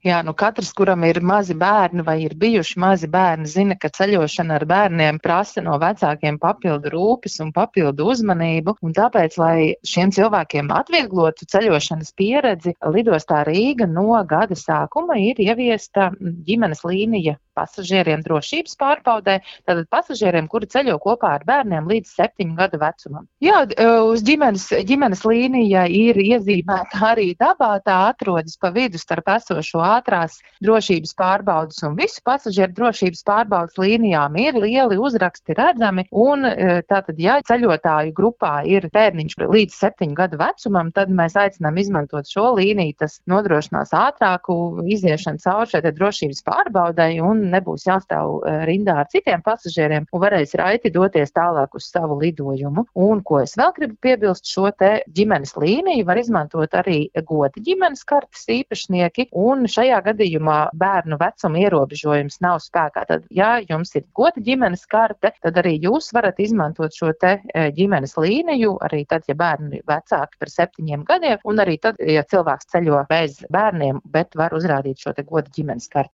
Jā, katrs, kuram ir mazi bērni vai ir bijuši mazi bērni, zina, ka ceļošana ar bērniem prasa no vecākiem papildu rūpes un papildu uzmanību. Un tāpēc, lai šiem cilvēkiem atvieglotu ceļošanas pieredzi, lidostā Rīga no gada sākuma ir ieviesta ģimenes līnija pasažieriem drošības pārbaudē, tātad pasažieriem, kuri ceļo kopā ar bērniem līdz 7 gadu vecumam. Jā, uz ģimenes līnija ir iezīmēta arī dabā, tā atrodas pa vidu starp esošo ātrās drošības pārbaudas un visu pasažieru drošības pārbaudas līnijām ir lieli uzraksti redzami, un tātad, ja ceļotāju grupā ir bērniņš līdz 7 gadu vecumam, tad mēs aicinām izmantot šo līniju, tas nodrošinās ātrāku iziešanu cauri šai drošības pārbaudai un nebūs jāstāv rindā ar citiem pasažieriem un varēs raiti doties tālāk uz savu lidojumu. Un, ko es vēl gribu piebilst, šo te ģimenes līniju var izmantot arī goda ģimenes kartes īpašnieki, un šajā gadījumā bērnu vecuma ierobežojums nav spēkā. Tad, ja jums ir goda ģimenes karte, tad arī jūs varat izmantot šo te ģimenes līniju, arī tad, ja bērni ir vecāki par 7 gadiem, un arī tad, ja cilvēks ceļo bez bērniem, bet var uzrādīt šo te goda ģimenes karti.